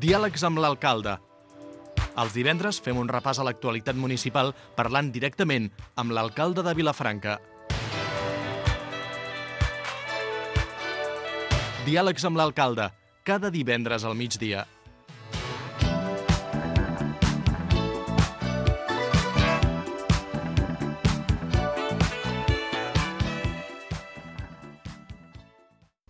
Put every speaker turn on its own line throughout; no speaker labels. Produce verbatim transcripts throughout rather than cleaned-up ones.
Diàlegs amb l'alcalde. Els divendres fem un repàs a l'actualitat municipal parlant directament amb l'alcalde de Vilafranca. Diàlegs amb l'alcalde, cada divendres al migdia.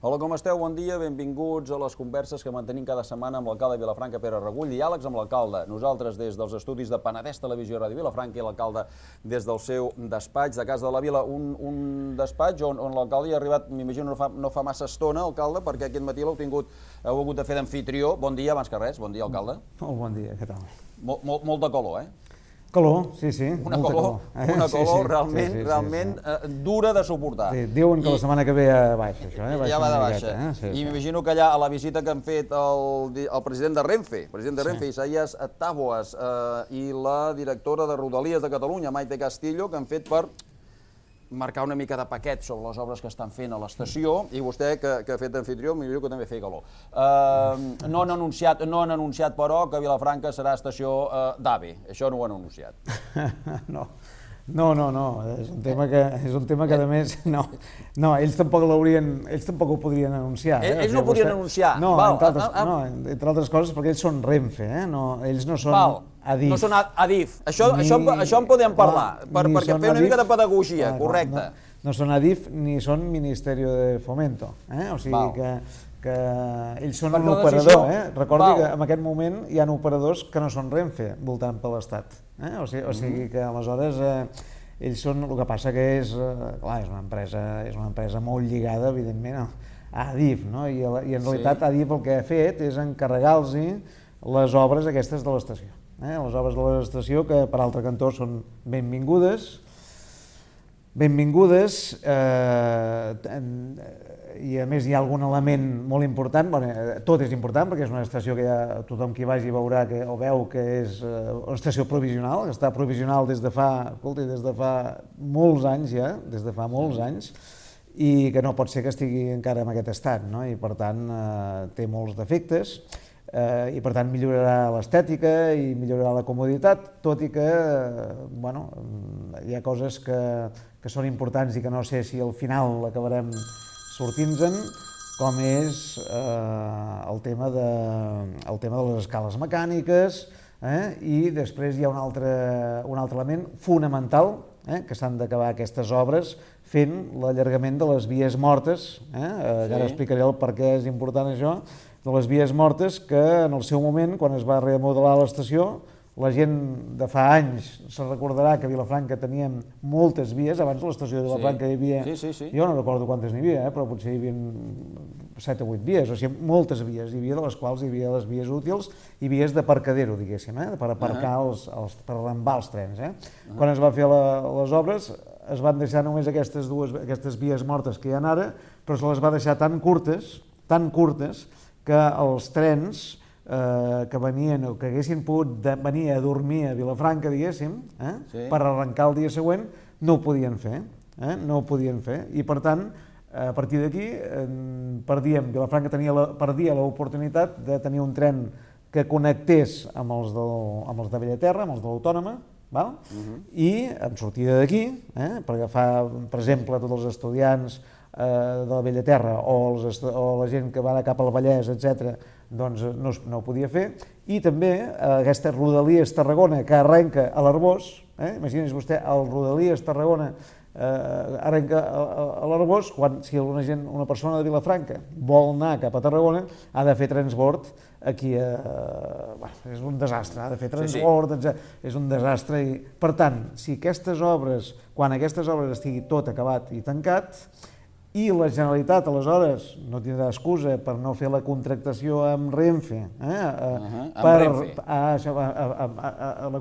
Hola, com esteu? Bon dia, benvinguts a les converses que mantenim cada setmana amb l'alcalde de Vilafranca, Pere Regull. Diàlegs amb l'alcalde. Nosaltres des dels estudis de Penedès Televisió i Ràdio Vilafranca i l'alcalde des del seu despatx de Casa de la Vila. Un, un despatx on, on l'alcalde hi ha arribat, m'imagino, no fa, no fa massa estona, alcalde, perquè aquest matí l'heu tingut, heu hagut de fer d'amfitrió. Bon dia, abans que res. Bon dia, alcalde.
Molt bon dia, què tal?
Molt, molt, molt de color, eh?
Calor, sí, sí.
Una color, una color realment, realment dura de suportar.
Diuen que la setmana que ve baixa, això, eh?
Ja va de baixa. I m'imagino que allà, a la visita que han fet el president de Renfe, president de Renfe, Isaías Táboas, i la directora de Rodalies de Catalunya, Maite Castillo, que han fet per marcar una mica de paquet sobre les obres que estan fent a l'estació, i vostè, que ha fet d'amfitrió, millor que també feia calor. No han anunciat, no han anunciat, però, que Vilafranca serà estació d'AVE. Això no ho han anunciat.
No, no, no, no. És un tema que, és un tema que a més, no, no, ells tampoc l'haurien, ells tampoc ho podrien anunciar.
Ells no ho podrien anunciar?
No, entre altres coses, perquè ells són Renfe, ells no són Adif.
No són Adif. Això en podem parlar, perquè fer una mica de pedagogia, correcte.
No són Adif ni són Ministeri de Fomento, o sigui que que ells són un operador. Recordi que en aquest moment hi ha operadors que no són Renfe voltant per l'Estat. O sigui que aleshores ells són, el que passa que és, clar, és una empresa, és una empresa molt lligada, evidentment, a Adif, i en realitat Adif el que ha fet és encarregar-los les obres aquestes de l'estació. Les obres de l'estació que per altre cantó són benvingudes, benvingudes, i a més hi ha algun element molt important, tot és important perquè és una estació que tothom qui vagi veurà o veu que és una estació provisional, que està provisional des de fa, escolti, des de fa molts anys ja, des de fa molts anys, i que no pot ser que estigui encara en aquest estat, i per tant té molts defectes, i per tant millorarà l'estètica i millorarà la comoditat, tot i que hi ha coses que són importants i que no sé si al final l'acabarem sortint-se'n, com és el tema de les escales mecàniques, i després hi ha un altre element fonamental, que s'han d'acabar aquestes obres fent l'allargament de les vies mortes, ara explicaré el per què és important això, de les vies mortes que en el seu moment, quan es va remodelar l'estació, la gent de fa anys se recordarà que a Vilafranca teníem moltes vies, abans de l'estació de Vilafranca hi havia, jo no recordo quantes n'hi havia, però potser hi havia set o vuit vies, o sigui, moltes vies, hi havia de les quals hi havia les vies útils i vies d'aparcadero, diguéssim, per aparcar, per arrambar els trens. Quan es va fer les obres es van deixar només aquestes dues, aquestes vies mortes que hi ha ara, però se les va deixar tan curtes, tan curtes, que els trens que venien o que haguessin pogut venir a dormir a Vilafranca, diguéssim, per arrencar el dia següent, no ho podien fer, no ho podien fer, i per tant, a partir d'aquí, perdíem, Vilafranca perdia l'oportunitat de tenir un tren que connectés amb els de Bellaterra, amb els de l'Autònoma, i amb sortida d'aquí, per agafar, per exemple, tots els estudiants de la Bellaterra o la gent que va cap al Vallès, etcètera, doncs no ho podia fer. I també aquesta Rodalies Tarragona que arrenca a l'Arboç, imagini's vostè, el Rodalies Tarragona arrenca a l'Arboç, quan si una persona de Vilafranca vol anar cap a Tarragona ha de fer transbord aquí, és un desastre, ha de fer transbord, és un desastre. Per tant, si aquestes obres, quan aquestes obres estigui tot acabat i tancat, i la Generalitat, aleshores, no tindrà excusa per no fer la contractació amb Renfe, la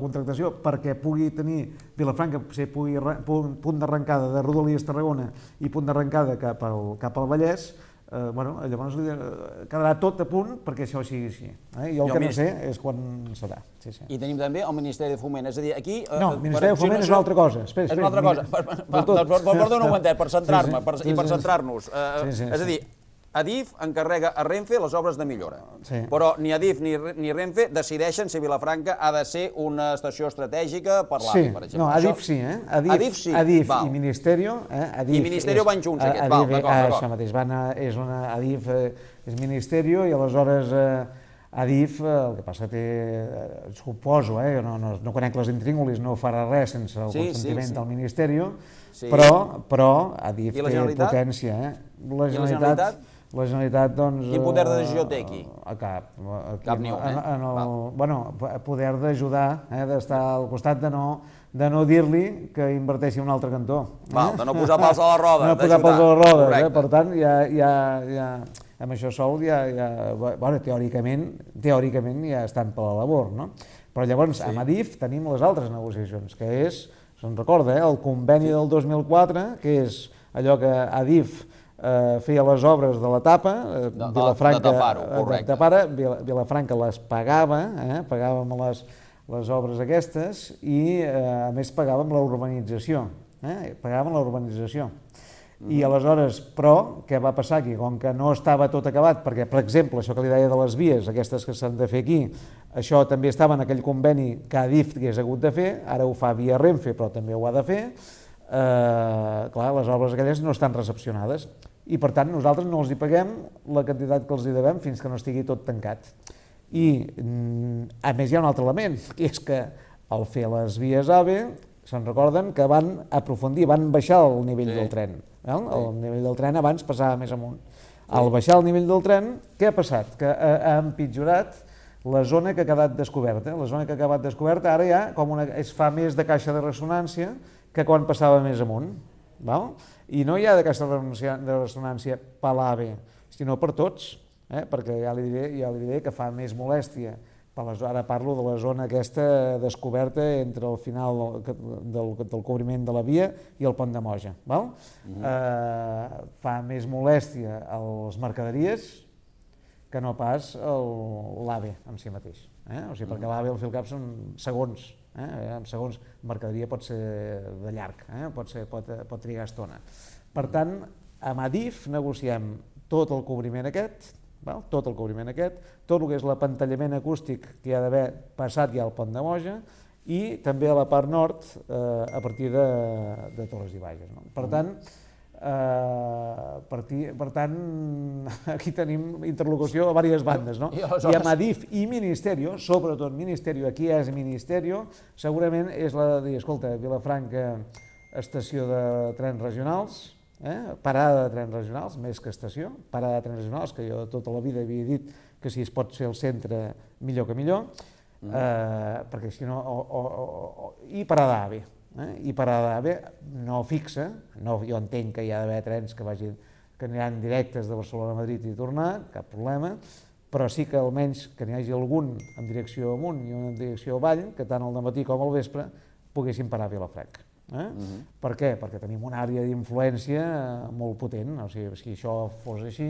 contractació perquè pugui tenir Vilafranca, pugui punt d'arrencada de Rodalies Tarragona i punt d'arrencada cap al Vallès, llavors quedarà tot a punt perquè això sigui així. Jo el que no sé és quan serà.
I tenim també el Ministeri de Foment, és a dir, aquí...
No, el Ministeri de Foment és una altra cosa.
És una altra cosa. Perdona un momentet, per centrar-me i per centrar-nos. És a dir, Adif encarrega a Renfe les obres de millora.
Sí.
Però ni Adif ni, ni Renfe decideixen si Vilafranca ha de ser una estació estratègica per l'A V I, per exemple.
No, Adif sí, eh? Adif,
Adif sí,
Adif
val.
i Ministerio. Eh? Adif
I Ministerio
és,
van junts, aquests,
Adif,
val, d'acord, d'acord.
Això mateix, van a, és una, Adif eh, és Ministerio i aleshores eh, Adif, eh, el que passa té, eh, suposo, eh, no, no, no conec les intríngulis, no farà res sense el
Sí,
consentiment
sí, sí.
del Ministerio,
Sí.
però, però Adif
I la
té
Generalitat?
potència. Eh?
I
La
la Generalitat?
La Generalitat, doncs...
Quin poder de
eh,
decisió té aquí?
A cap. Aquí,
Cap ni un, eh?
En, en el,
Val.
bueno, poder d'ajudar, eh, d'estar al costat de no, de no dir-li que inverteixi un altre cantó. Eh?
Val, de no posar pals a la roda,
No posar pals a les rodes, eh?
Correcte.
Per tant, ja, ja, ja, amb això sol ja, ja bueno, teòricament, teòricament ja estan per la labor, no? Però llavors, sí. Amb Adif tenim les altres negociacions, que és, se'n recorda, eh, el conveni del dos mil quatre, que és allò que Adif eh, feia les obres de l'etapa, eh,
de,
Vilafranca,
de tapar-ho, correcte.
de tapar, Vilafranca les pagava, eh, pagàvem les, les obres aquestes i eh, a més pagàvem la urbanització, eh, pagàvem la urbanització. I aleshores, però, què va passar aquí? Com que no estava tot acabat, perquè, per exemple, això que li deia de les vies, aquestes que s'han de fer aquí, això també estava en aquell conveni que Adif hagués hagut de fer, ara ho fa via Renfe, però també ho ha de fer, eh, clar, les obres aquelles no estan recepcionades i, per tant, nosaltres no els hi paguem la quantitat que els hi devem fins que no estigui tot tancat. I, a més, hi ha un altre element, que és que al fer les vies A V E, se'n recorden que van aprofundir, van baixar el nivell sí. del tren. El sí. nivell del tren abans passava més amunt. Al baixar el nivell del tren, què ha passat? Que ha, ha empitjorat la zona que ha quedat descoberta. La zona que ha quedat descoberta ara ja com una, es fa més de caixa de ressonància que quan passava més amunt. Val? I no hi ha de caixa de ressonància per l'A V E, sinó per tots, eh? Perquè ja li, diré, ja li diré que fa més molèstia. Ara parlo de la zona aquesta descoberta entre el final del, del cobriment de la via i el pont de Moja. Val? Mm-hmm. eh, fa més molèstia als mercaderies que no pas l'A V E en si mateix. Eh? O sigui, perquè l'A V E al fil cap són segons. Eh? En segons, mercaderia pot ser de llarg, eh? pot, ser, pot, pot trigar estona. Per tant, amb Adif negociem tot el cobriment aquest, val? tot el cobriment aquest, tot el que és l'apantallament acústic que hi ha d'haver passat ja al pont de Moja i també a la part nord eh, a partir de, de Torres i Bages. No? Per tant, eh, per, per tant, aquí tenim interlocució a diverses bandes. No? I, I amb Adif i Ministerio, sobretot Ministerio, aquí és Ministerio, segurament és la de dir, escolta, Vilafranca, estació de trens regionals, Eh? parada de trens regionals, més que estació, parada de trens regionals, que jo tota la vida havia dit que si es pot ser al centre, millor que millor, mm. eh, perquè si no... O, o, o, I parada A V E. Eh? I parada A V E no fixa, no, jo entenc que hi ha d'haver trens que, vagin, que aniran directes de Barcelona a Madrid i tornar, cap problema, però sí que almenys que n'hi hagi algun en direcció amunt i un en direcció avall, que tant al dematí com al vespre poguessin parar a Vilafranca. Eh? Uh-huh. Per què? Perquè tenim una àrea d'influència molt potent, o sigui, si això fos així,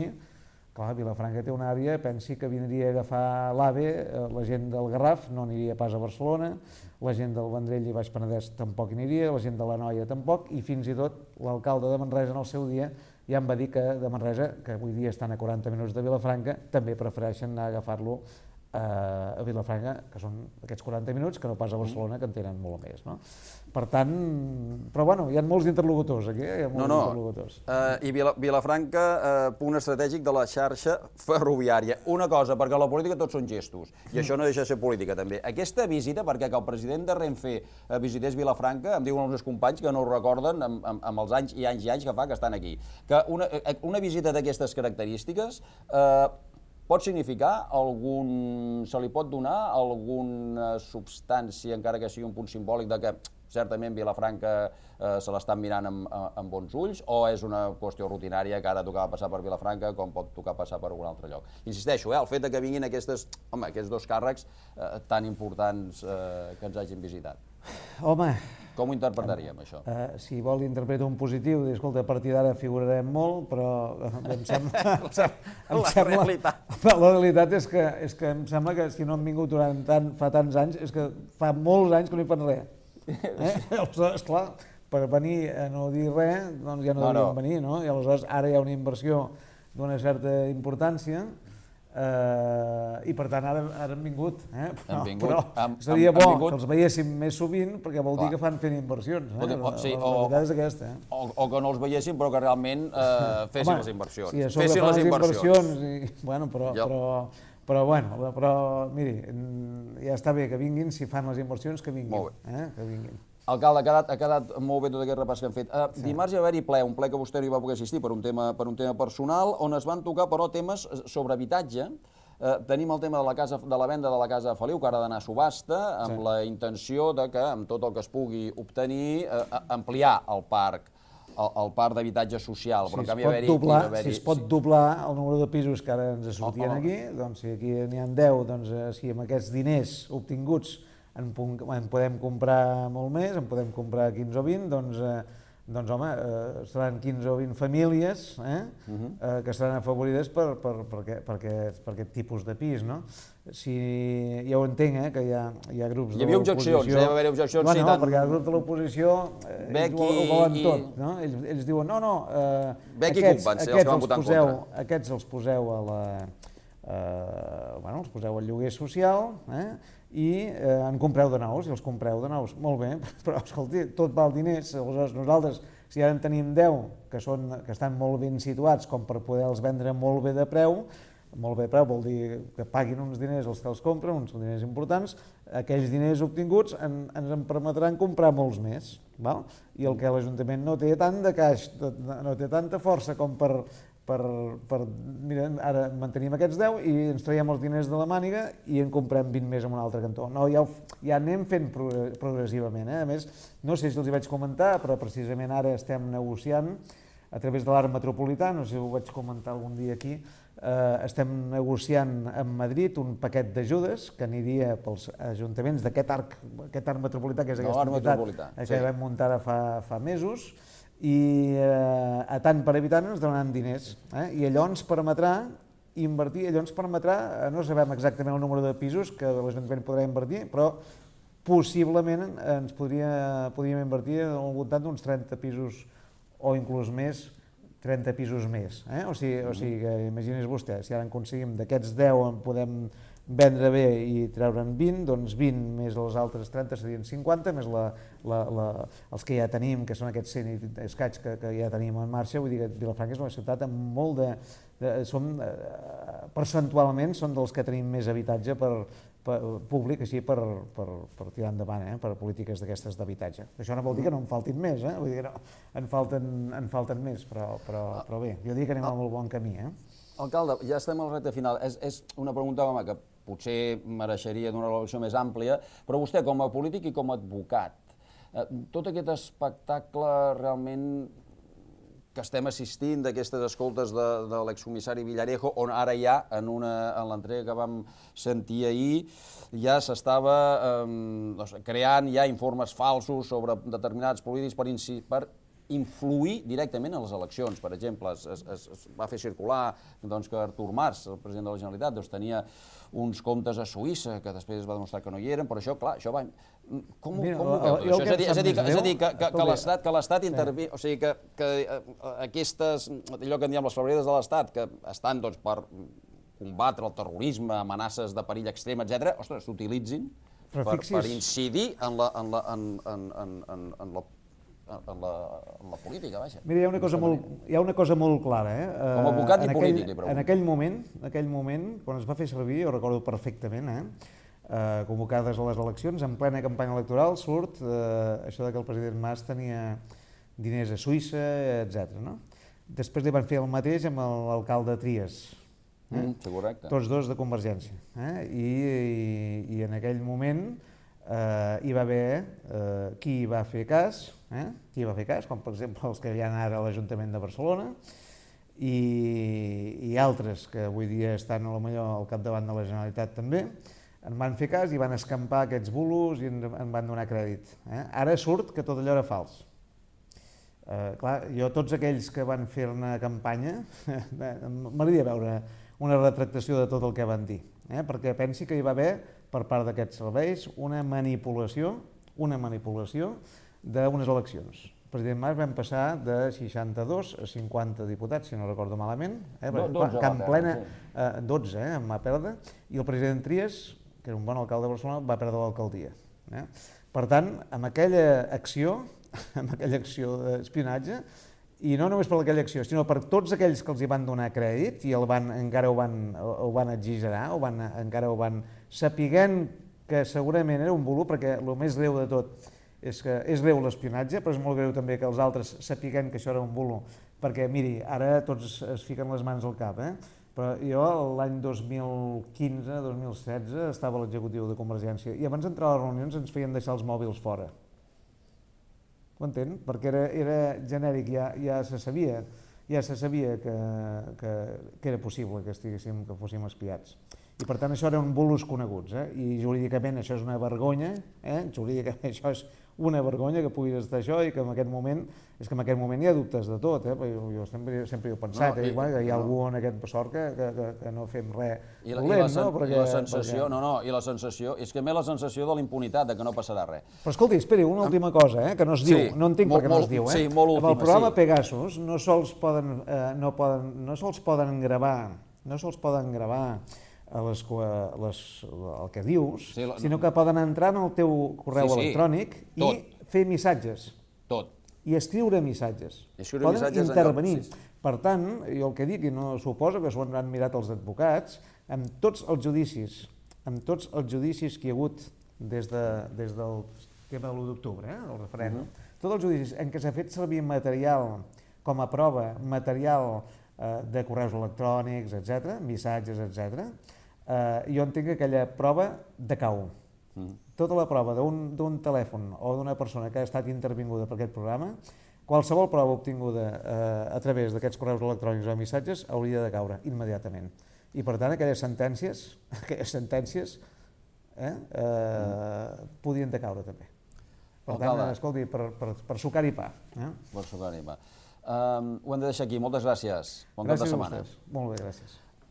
clar, Vilafranca té una àrea, pensi que vindria a agafar l'A V E, la gent del Garraf no aniria pas a Barcelona, la gent del Vendrell i Baix Penedès tampoc aniria, la gent de l'Anoia tampoc, i fins i tot l'alcalde de Manresa en el seu dia ja em va dir que de Manresa, que avui dia estan a quaranta minuts de Vilafranca, també prefereixen anar a agafar-lo a Vilafranca, que són aquests quaranta minuts, que no pas a Barcelona, que en tenen molt més. No? Per tant, però bueno, hi ha molts interlocutors aquí, hi ha molts
no, no.
interlocutors.
Uh, I Vila, Vilafranca, uh, punt estratègic de la xarxa ferroviària. Una cosa, perquè la política tots són gestos, i això no deixa de ser política també. Aquesta visita, perquè que el president de Renfe uh, visités Vilafranca, em diuen els meus companys que no ho recorden amb, amb, amb els anys i anys i anys que fa que estan aquí, que una, una visita d'aquestes característiques uh, pot significar algun... se li pot donar alguna substància, encara que sigui un punt simbòlic, de que certament Vilafranca eh, se l'estan mirant amb, amb bons ulls, o és una qüestió rutinària que ara tocava passar per Vilafranca com pot tocar passar per un altre lloc? Insisteixo, eh, el fet de que vinguin aquestes, home, aquests dos càrrecs eh, tan importants eh, que ens hagin visitat.
Home...
Com ho interpretaríem, això?
Uh, si vol interpretar un positiu, dir, escolta, a partir d'ara figurarem molt, però em sembla... em sembla, em
la
sembla,
realitat.
La realitat és que, és que em sembla que si no han vingut durant tant, fa tants anys, és que fa molts anys que no hi fan res. Eh? Aleshores, clar, per venir a no dir res, doncs ja no, no devíem no. venir, no? I aleshores ara hi ha una inversió d'una certa importància, Uh, i per tant ara, ara han vingut, eh? però,
han vingut,
però
han,
seria
han,
bo
han vingut...
que els veiéssim més sovint perquè vol
Clar.
dir que fan fent inversions, eh?
O, o, sí,
la, la,
o,
la veritat és aquesta, eh?
o, o que no els veiéssim però que realment eh, fessin
Home,
les inversions.
Sí, a sobre
fessin
fan
les
les
inversions.
inversions i, bueno, però,
Jo.
però, però, bueno, però, miri, ja està bé que vinguin, si fan les inversions, que vinguin.
Molt bé.
Eh? Que vinguin.
Alcalde, ha quedat, ha quedat molt bé tot aquest repàs que hem fet. Uh, sí. Dimarts hi va haver-hi ple, un ple que vostè no hi va poder assistir per un, tema, per un tema personal, on es van tocar, però, temes sobre habitatge. Uh, tenim el tema de la, casa, de la venda de la casa de Feliu, que ara ha d'anar a subhasta, amb sí. la intenció de que, amb tot el que es pugui obtenir, uh, ampliar el parc, el, el parc d'habitatge social.
Si,
però,
es
en canvi,
pot doblar,
si
si es pot doblar el número de pisos que ara ens sortien
oh, oh.
aquí, doncs si aquí n'hi ha deu, doncs eh, si amb aquests diners obtinguts en, en podem comprar molt més, en podem comprar quinze o vint, doncs, eh, doncs home, eh, seran quinze o vint famílies eh, uh -huh. eh, que seran afavorides per, per, per, aquest, per, aquest, per aquest tipus de pis, no? Si, ja ho entenc, eh, que hi ha, hi ha grups de l'oposició...
Hi havia objeccions, hi va haver objeccions...
Bueno,
sí,
no,
tant...
perquè el grup de l'oposició eh, ells ho, ho volen i... tot, no? Ells, ells diuen, no, no, eh,
Beck
aquests,
i van ser
aquests,
els que van votar en
poseu,
contra.
aquests els poseu a la... Eh, bueno, els poseu al lloguer social, eh? i eh, en compreu de nous, i els compreu de nous. Molt bé, però escolti, tot val diners. Aleshores, nosaltres, si ara en tenim deu que, són, que estan molt ben situats com per poder-los vendre molt bé de preu, molt bé de preu vol dir que paguin uns diners els que els compren, uns diners importants, aquells diners obtinguts en, ens en permetran comprar molts més. Val? I el que l'Ajuntament no té tant de caix, no té tanta força com per... Per, per, mira, ara mantenim aquests deu i ens traiem els diners de la màniga i en comprem vint més en un altre cantó. No, ja, ja anem fent progressivament. Eh? A més, no sé si els hi vaig comentar, però precisament ara estem negociant a través de l'Arc Metropolità, no sé si ho vaig comentar algun dia aquí, eh, estem negociant amb Madrid un paquet d'ajudes que aniria pels ajuntaments d'aquest arc, aquest arc metropolità, que és aquesta
no,
entitat que
sí.
vam muntar ara fa, fa mesos, i eh, a tant per habitant ens donaran diners, eh? I allò ens permetrà invertir, allò ens permetrà, eh, no sabem exactament el número de pisos que l'Ajuntament podrà invertir, però possiblement ens podria, podríem invertir al voltant d'uns trenta pisos o inclús més, trenta pisos més. Eh? O sigui, o sigui que imagini's vostè, si ara en aconseguim d'aquests deu en podem vendre bé i treure'n vint, doncs vint més els altres trenta serien cinquanta, més la, la, la, els que ja tenim, que són aquests cent i escaig que, que ja tenim en marxa. Vull dir que Vilafranca és una ciutat amb molt de... de som, eh, percentualment són dels que tenim més habitatge per, per, públic, així per, per, per tirar endavant, eh, per polítiques d'aquestes d'habitatge. Això no vol dir que no en faltin més, eh? Vull dir que no, en, falten, en falten més, però, però, però bé, jo dic que anem a molt bon camí. Eh?
Alcalde, ja estem a la recta final. És, és una pregunta, home, que potser mereixeria d'una relació més àmplia, però vostè, com a polític i com a advocat, eh, tot aquest espectacle realment que estem assistint d'aquestes escoltes de, de l'excomissari Villarejo, on ara ja, en, una, en l'entrega que vam sentir ahir, ja s'estava eh, doncs, creant ja informes falsos sobre determinats polítics per, per influir directament en les eleccions. Per exemple, es, es, es va fer circular doncs, que Artur Mas, el president de la Generalitat, doncs, tenia uns comptes a Suïssa, que després es va demostrar que no hi eren, però això, clar, això va... Com,
Mira,
com ho veu?
el, el
és a dir, és a dir, que, és a dir que, que, que l'Estat que l'Estat intervé, o sigui, que, que aquestes, allò que en diem les febreres de l'Estat, que estan doncs, per combatre el terrorisme, amenaces de perill extrem, etcètera, ostres, s'utilitzin per, per incidir en la, en la, en, en, en, en, en la En la, en la política, vaja.
Mira, hi ha una cosa, molt, hi ha una cosa molt clara. Eh?
Com a advocat i polític, li
pregunto. En aquell moment, en aquell moment, quan es va fer servir, jo recordo perfectament, eh? Eh, convocades a les eleccions, en plena campanya electoral, surt eh, això de que el president Mas tenia diners a Suïssa, etcètera. No? Després li van fer el mateix amb l'alcalde Trias. Eh?
Mm, correcte.
Tots dos de Convergència. Eh? I, i, I en aquell moment eh, hi va haver eh, qui va fer cas, eh? qui va fer cas, com per exemple els que hi ha ara a l'Ajuntament de Barcelona, i, i altres que avui dia estan a lo millor al capdavant de la Generalitat també, en van fer cas i van escampar aquests bulos i en, en van donar crèdit. Eh? Ara surt que tot allò era fals. Eh, clar, jo tots aquells que van fer-ne campanya, m'agradaria veure una retractació de tot el que van dir, eh? perquè pensi que hi va haver, per part d'aquests serveis, una manipulació, una manipulació d'unes eleccions. president Mas vam passar de seixanta-dos a cinquanta diputats, si no recordo malament, eh?
dotze
Can
va
Plena,
perdre,
eh, dotze, eh, em va perdre, i el president Trias, que era un bon alcalde de Barcelona, va perdre l'alcaldia. Eh? Per tant, amb aquella acció, amb aquella acció d'espionatge, i no només per aquella acció, sinó per tots aquells que els hi van donar crèdit i el van, encara ho van, ho van exagerar, ho van, encara ho van sapiguent que segurament era un bulo, perquè el més greu de tot és que és greu l'espionatge, però és molt greu també que els altres sapiguent que això era un bulo, perquè miri, ara tots es fiquen les mans al cap, eh? Però jo l'any dos mil quinze dos mil setze estava a l'executiu de Convergència i abans d'entrar a les reunions ens feien deixar els mòbils fora. Ho entén? Perquè era, era genèric, ja, ja se sabia, ja se sabia que, que, que era possible que estiguéssim, que fóssim espiats. I per tant això eren bulos coneguts, eh? I jurídicament això és una vergonya, eh? Jurídicament això és una vergonya que puguis estar això i que en aquest moment, és que en aquest moment hi ha dubtes de tot, eh? Jo, jo sempre, sempre hi he pensat, no, i, eh? Igual, que hi ha no. algú en aquest sort que, que, que, que no fem res
I la,
dolent,
i la, sen,
no? Perquè,
i la sensació,
perquè...
no, no, i la sensació, és que a més la sensació de la impunitat, de que no passarà res.
Però escolti, esperi, una última cosa, eh? Que no es diu,
sí,
no entenc
molt,
per què no
molt,
es diu, eh?
Sí, molt última,
amb el programa
sí.
Pegasus no sols poden, eh, no poden, no sols poden gravar, no sols poden gravar les, les, el que dius, sí, la, sinó que poden entrar en el teu correu sí, sí, electrònic tot. I fer missatges.
Tot.
I escriure missatges.
Escriure
poden
missatges
intervenir.
Sí, sí.
Per tant, jo el que dic, i no suposo que s'ho han mirat els advocats, amb tots els judicis, amb tots els judicis que hi ha hagut des, de, des del tema de l'u d'octubre, eh, el referèndum, uh -huh. tots els judicis en què s'ha fet servir material com a prova, material eh, de correus electrònics, etcètera, missatges, etcètera, eh, jo entenc que aquella prova decau. Mm. Tota la prova d'un telèfon o d'una persona que ha estat intervinguda per aquest programa, qualsevol prova obtinguda eh, a través d'aquests correus electrònics o missatges hauria de caure immediatament. I per tant aquelles sentències, aquelles sentències eh, eh, mm. podien decaure també. Per tant, Alcalde. Escolti, per, per, per sucar i pa. Eh?
Per sucar i pa. Um, ho hem de deixar aquí. Moltes gràcies. Bon cap de setmana.
Gràcies a vostès. Molt bé, gràcies.